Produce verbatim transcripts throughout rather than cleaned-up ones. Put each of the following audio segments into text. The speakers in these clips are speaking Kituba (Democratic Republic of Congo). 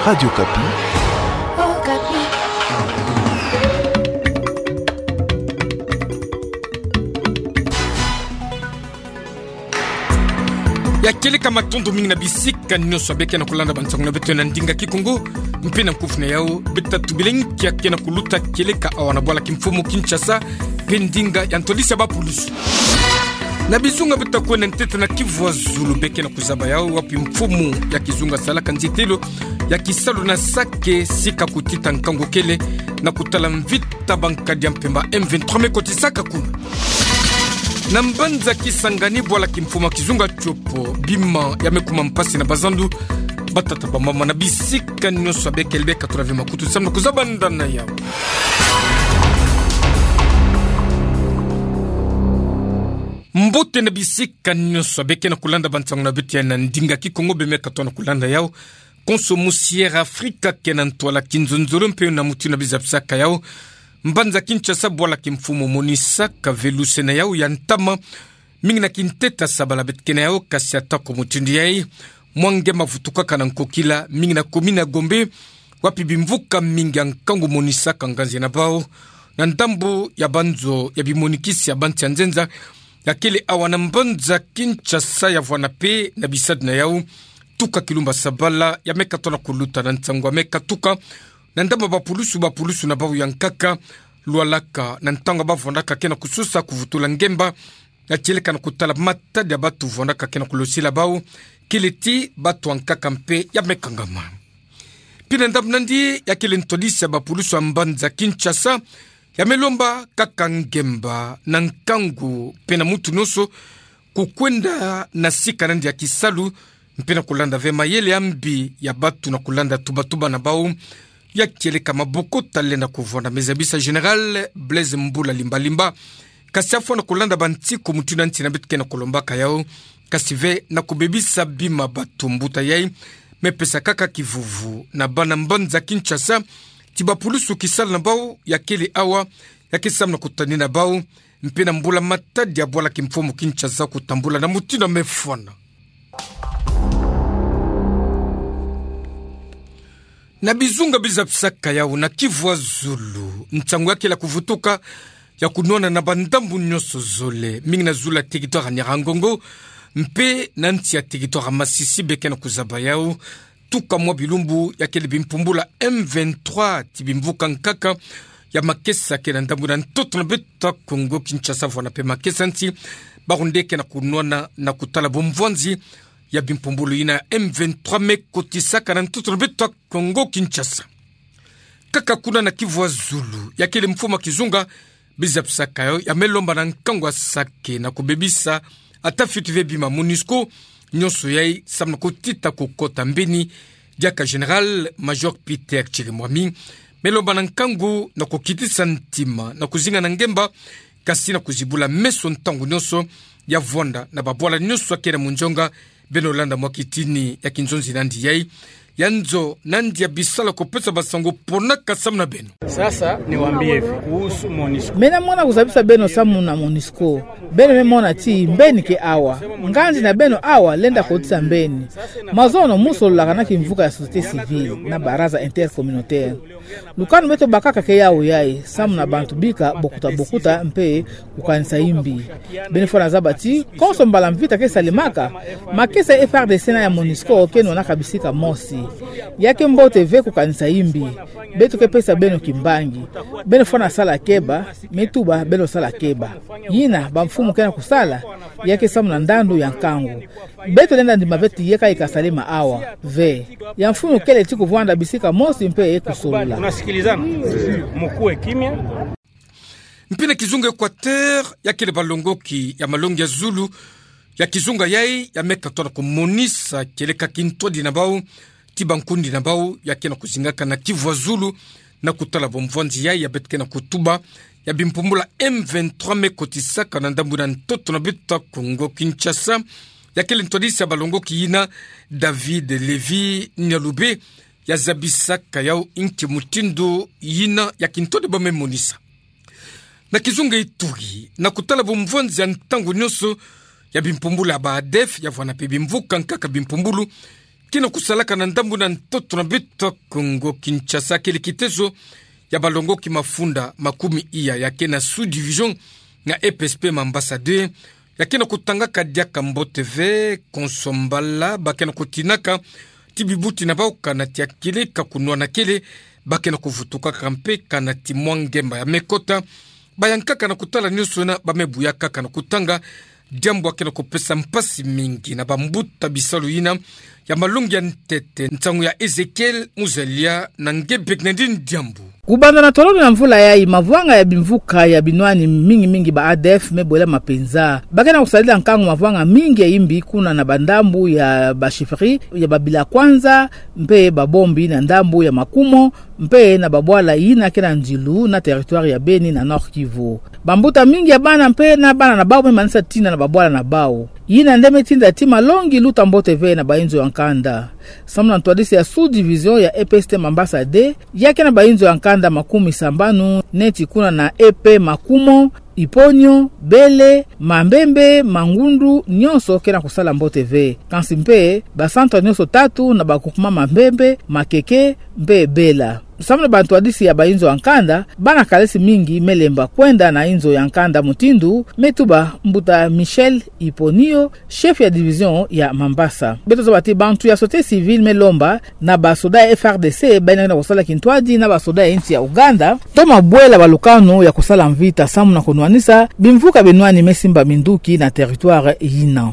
Radio Okapi. Okapi. Ya kieleka matondo mingi na bisika nyonso beke na kulanda bansango na beto na ndinga Kikongo, mpe na nkufi na yau, beta tubila nkia ke na kuluta kieleka awa na bwala kimfumu Kinshasa, mpe ndinga ya ntwadisi ya bapulusu. Na bizunga beta kwenda ntete na Kivu ya Zulu beke na kuzaba yau, wapi mfumu ya kizunga salaka nzietelo ya kisalu na Sake, sika kutita nkangu kele na kutala mvita bankadi ya mpemba M vingt-trois me kotisaka kuna. Na mbanza Kisangani, bwala kimfumu ya kizunga Tshopo, bima ya me kuma mpasi na bazandu, batata bamama na bisika nyonso beke le beka tula ve makutu samu na kuzabanda na yau. Mbote na bisika nyonso beke na kulanda bansango na beto ya na ndinga Kikongo be me katoa na kulanda yau. Konso musi Air Afrika ke na ntwala kinzonzolo mpe na mutindu na bizapisaka yau. Mbanza Kinshasa, bwala kimfumu monisaka ve luse na yau ya ntama, mingi na kintete ya sabala beto ke na yau, kasi atako mutindu yai, mwa nge mavutukaka na nkokila, mingi na commune ya Gombe, wapi bimvuka mingi ya nkangu monisaka nganzi na bau na ndambu ya banzo ya bimonikisi ya bansi ya nzenza, ya kele awa na mbanza Kinshasa, ya vwanda mpe na bisadi na yau, tuka kilumba sabala ya me katoa na kuluta na nsangu ya me katuka na ndambu ya bapulusu, bapulusu na bau ya nkaka, lwalaka na ntangu bavwandaka ke na kusosa kuvutula ngemba, ya kieleka na kutala matadi ya batu vwandaka ke na kulosila bau, kele ti batu ya nkaka mpe ya me kangama. Mpe na ndambu nandi, ya kele ntwadisi ya bapulusu ya mbanza Kinshasa, ya me lomba kaka ngemba na nkangu mpe na mutu nyonso kukwenda na sika nandi ya kisalu, mpe na kulanda ve mayele ya mbi ya batu na kulanda tubatuba na bau, ya kieleka maboko talenda kuvwanda, me zabisa Général Blaise Mbula Limbalimba. Kasi afwa na kulanda bansiku mutindu na nsi na beto ke na kulombaka yau, kasi ve na kubebisa bima batu. Mbuta yai me pesa kaka kivuvu na bana mbanza Kinshasa ti bapulusu kisalu na bau ya kele awa, ya ke samu na kutanina bau, mpe na mbula matadi ya bwala kimfumu Kinshasa kutambula na mutindu ya me fwana. Na bizunga bizapisaka yau na Kivu ya Zulu, nsangu ya kele ya kuvutuka ya kunwana na bandambu nyonso zole, mingi na zulu ya territoire ya Nyiragongo, mpe na nsi ya territoire ya Masisi beke na kuzaba yau, tuka mwa bilumbu ya kele bimpumbulu ya M vingt-trois ti bimvuka nkaka ya makesa ke na ndambu na ntoto na beto ya Kongo Kinshasa, vwanda mpe makesa nsi, bawu nde ke na kunwana na kutala bumvwanzi ya bimpumbulu yina M vingt-trois me kotisaka na ntoto na beto ya Kongo Kinshasa. Kaka kuna na Kivu ya Zulu, ya kele mfumu ya kizunga bizapisaka yau, ya me lomba na nkangu ya Sake na kubebisa ata fioti ve bima MONUSCO nyonso yai samu na kutita kukota mbeni, diaka Général-Major Peter Chirimwami me lomba na nkangu na kukitisa ntima na kuzinga na ngemba, kasi na kuzibula meso ntangu nyonso, ya vwanda na babwala nyonso ya ke na munzonga. Beno landa mwa kitini ya kinzonzi nandi yai, ya nzo nandi ya bisalu ya kupesa basango ponaka samu na beno. Sasa niwaambie hivi kuhusu MONUSCO. Me na mona kuzabisa beno samu na MONUSCO. Beno me mona ti mbeni ke awa. Nganzi na beno awa lenda kotisa mbeni. Mazono mu sololaka na kimvuka ya société civile na baraza intercommunautaire. Lukanu beto bakaka ke yau yai, samu na bantu bika bokuta bokuta mpe kukanisa imbi. Beno fwana zaba ti konso mbala mvita ke salemaka, makesa ya F A R D C na ya MONUSCO ke nwanaka bisika mosi. Ya ke mbote ve kukanisa imbi. Beto ke pesa beno kimbangi. Beno fwana sala keba, me tuba beno sala keba. Yina bamfumu ke na kusala, ya ke samu na ndandu ya nkangu. Beto lenda ndima ve ti yeka ika salema awa ve. Ya mfunu kele ti kuvwanda bisika mosi mpe kusolola. Unasikilizana? Mukue kimya. Mpe na kizunga Équateur, ya kele balongoki ya malongi ya zulu ya kizunga yai, ya me katoa na kumonisa kieleka kintwadi na bau ti bankundi na bau ya ke na kuzingaka na Kivu ya Zulu, na kutala bumvwanzi yai ya beto ke na kutuba, ya bimpumbulu ya M vingt-trois me kotisaka na ndambu na ntoto na beto ya Kongo Kinshasa. Ya kele ntwadisi ya balongoki yina, David Lévy Nyalube, ya zabisaka yau nki mutindu yina ya kintwadi ba me monisa. Na kizunga Ituri, na kutala bumvwanzi ya ntangu nyonso ya bimpumbulu ya ba ADF, ya vwanda mpe bimvuka nkaka bimpumbulu, ke na kusalaka na ndambu na ntoto na beto Kongo Kinshasa, kele kitezo ya balongoki mafunda makumi iya ya ke na sous-division na E P S P Mambasa deux, ya ke na kutangaka diaka mbote ve konso mbala ba ke na kutinaka ti bibuti na bau kanati ya kele ka kunwana kele, ba ke na kuvutukaka mpe kanati mwa ngemba ya me kota. Bayankaka na kutala nionso yina, ba me buya kaka na kutanga, diambu ya ke na kupesa mpasi mingi na bambuta bisalu yina ya malongi ya ntete. Nsangu ya Ezekiel Muzalia na nge Bernardine Diambu. Kubanda na tolo na mvula yayi, mavwanga ya bimvuka ya binwani mingi mingi ba A D F me bwela mapenza. Ba ke na kusadila nkangu mavwanga mingi ya imbi kuna na bandambu ya ba chefferie ya Babila Kwanza, mpe Babombi na ndambu ya Makumo, mpe na babwala yina ke na nzilu na territoire ya Beni na Nord-Kivu. Bambuta mingi ya bana mpe na bana na bau me manisa tina na babwala na bau. Yina nde me tinda ti malongi luta mbote ve na bainzo ya nkanda. Samu na ntwadisi ya sous-division ya E P S P Mambasa deux, ya ke na bainzo ya nkanda makumi sambanu, neti kuna na E P Makumo, Iponyo, Bele, Mambembe, Mangundu, nionso ke na kusala mbote ve. Kansi mpe, ba centre nionso tatu na ba groupement Mambembe, Makeke, mpe Bela. Samu na bantwadisi ya bainzo ya nkanda, bana kalesi mingi me lemba kwenda na inzo ya nkanda mutindu me tuba mbuta Michel Iponio, chef ya division ya Mambasa. Beto zaba ti bantu ya société civile me lomba na basoda ya F R D C, bayina ke na kusala kintwadi na basoda ya insi ya Ouganda, toma bwela balukanu ya kusala mvita samu na kunwanisa bimvuka binwani me simba minduki na territoire yina.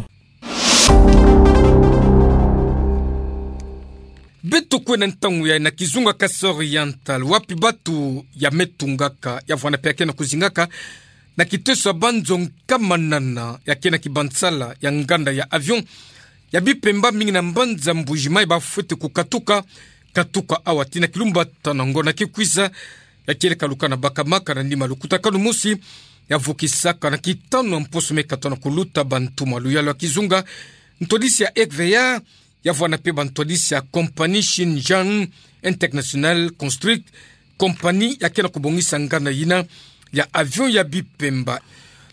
Beto kwe na ntangu yayi na kizunga Kasaï Oriental, wapi batu ya me tungaka, ya vwanda mpe ya ke na kuzingaka na kiteso ya banzo nkama nana ya ke na kibansala ya nganda ya avion ya Bipemba, mingi na mbanza Mbuji-Mayi, ba fwete kukatuka, katuka awa tii na kilumbu tanu na ngonda ke kwiza. Ya kele ka luka na baka maka na nima lukutakanu mosi ya vukisaka na kitanu ya mposo me katona kuluta bantumwa. Luyalu ya kizunga ntwadisi ya E V A, ya vwanda mpe bantwadisi ya compagnie Xinjiang International Construct, compagnie ya ke na kubongisa nganda yina ya avion ya Bipemba.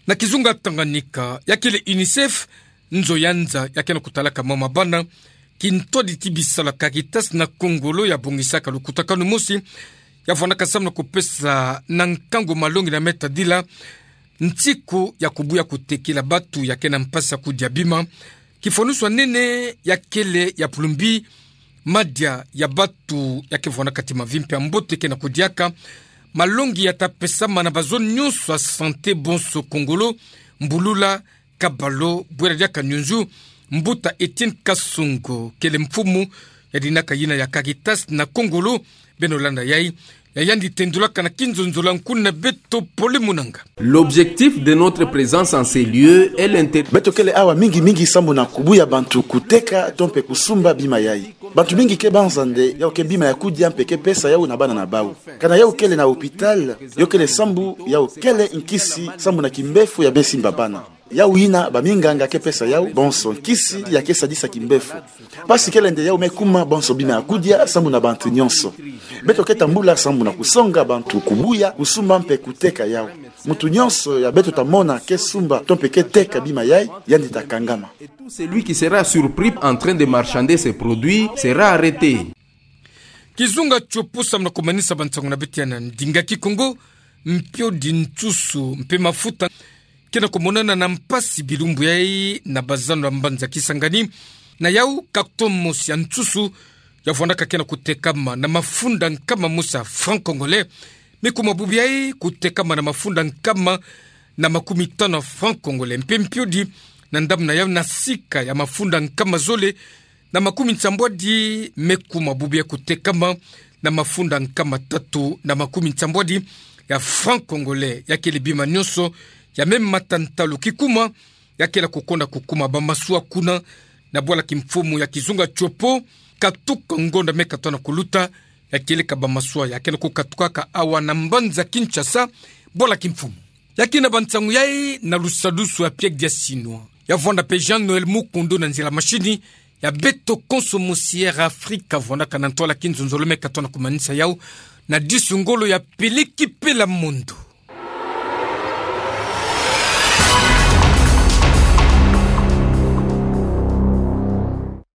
Na kizunga Tanganyika, ya kele UNICEF, nzo ya nza ya ke na kutalaka mama bana, kintwadi ti bisalu ya Caritas na Kongolo ya bongisaka lukutakanu mosi ya vwandaka samu na kupesa na nkangu malongi na me tadila nsiku ya kubuya kutekila batu ya ke na mpasi ya kudia bima. Kifwanusu ya nene ya kele ya pulumbi madia ya batu ya ke vwandaka ti mavi mpe ya mbote ke na kudiaka. Malongi ya ta pesama na bazo nionso ya santé bonso Kongolo, mbulula, kabalo, bwela diaka nyunzu. Mbuta Etienne Kasongo, kele mfumu ya dinaka yina ya Caritas na Kongolo, beno landa yayi, ya yandi tendulaka na kinzonzolo ya nkuna na beto Pole Munanga. L'objectif de notre présence en ces lieux est l'inter- Beto kele awa mingi mingi sambu na kubuya bantu kuteka to mpe kusumba bima yayi. Bantu mingi ke banza nde yau ke bima ya kudia mpe ke pesa yau na bana na bau. Kana yau kele na hôpital, yo kele sambu yau kele nkisi sambu na kimbefu ya be simba bana. Yau yina baminganga ke pesa yau bonso nkisi ya ke sadisa kimbefu. Mpasi kele nde yau me kuma bonso bima ya kudia sambu na bantu nionso. Beto ke tambula sambu na kusonga bantu kubuya, kusumba mpe kuteka yau. Muntu nionso ya beto ta mona ke sumba to mpe ke teka bima yayi, yandi ta kangama. Et tout celui qui sera surpris en train de marchander ses produits sera arrêté. Kizunga Tshopo, samu na kumanisa bansangu na beto ya na ndinga Kikongo. Mpiodi, nsusu mpe mafuta ke na kumonana na mpasi bilumbu yayi na bazando ya mbanza Kisangani. Na yau, carton mosi ya nsusu ya vwandaka ke na kutekama na mafunda nkama mosi ya francs congolais, me kuma bubu yayi kutekama na mafunda nkama na makumi tanu ya francs congolais. Mpe mpiodi na ndambu na yau, na sika ya mafunda nkama zole na makumi nsambwadi, me kuma bubu yayi kutekama na mafunda nkama tatu na makumi nsambwadi ya francs congolais. Ya kele bima nionso ya me mata ntalu. Kikuma ya kele kukonda kukuma bamaswa kuna na bwala kimfumu ya kizunga Tshopo, katuka ngonda me katona kuluta. Ya kele ka bamaswa ya ke na kukatukaka awa na mbanza Kinshasa, bwala kimfumu. Ya kina bansangu yayi na lusadusu ya Pierre Diasinwa, ya vwanda mpe Jean-Noël Mukundu na nzila mashini ya beto konso mosi Air Afrique, vwandaka na ntwala kinzonzolo me katona kumanisa yau na disu ngolo ya Peleki Pela Mondo.